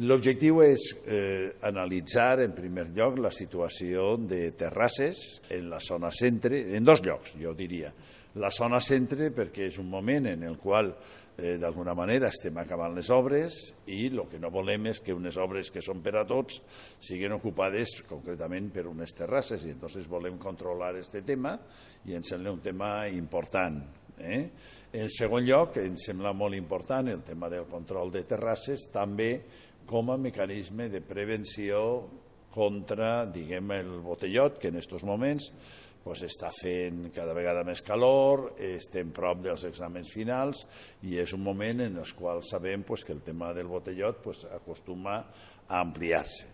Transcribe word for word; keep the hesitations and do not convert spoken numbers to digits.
L'objectiu és eh, analitzar, en primer lloc, la situació de terrasses en la zona centre, en dos llocs, jo diria. La zona centre perquè és un moment en el qual, eh, d'alguna manera, estem acabant les obres i el que no volem és que unes obres que són per a tots siguin ocupades concretament per unes terrasses i entonces volem controlar aquest tema i ens sembla un tema important. Eh? En segon lloc, em sembla molt important el tema del control de terrasses, també com a mecanisme de prevenció contra, diguem, el botellot, que en aquests moments pues, està fent cada vegada més calor, estem prop dels exàmens finals i és un moment en el qual sabem pues, que el tema del botellot pues, acostuma a ampliar-se.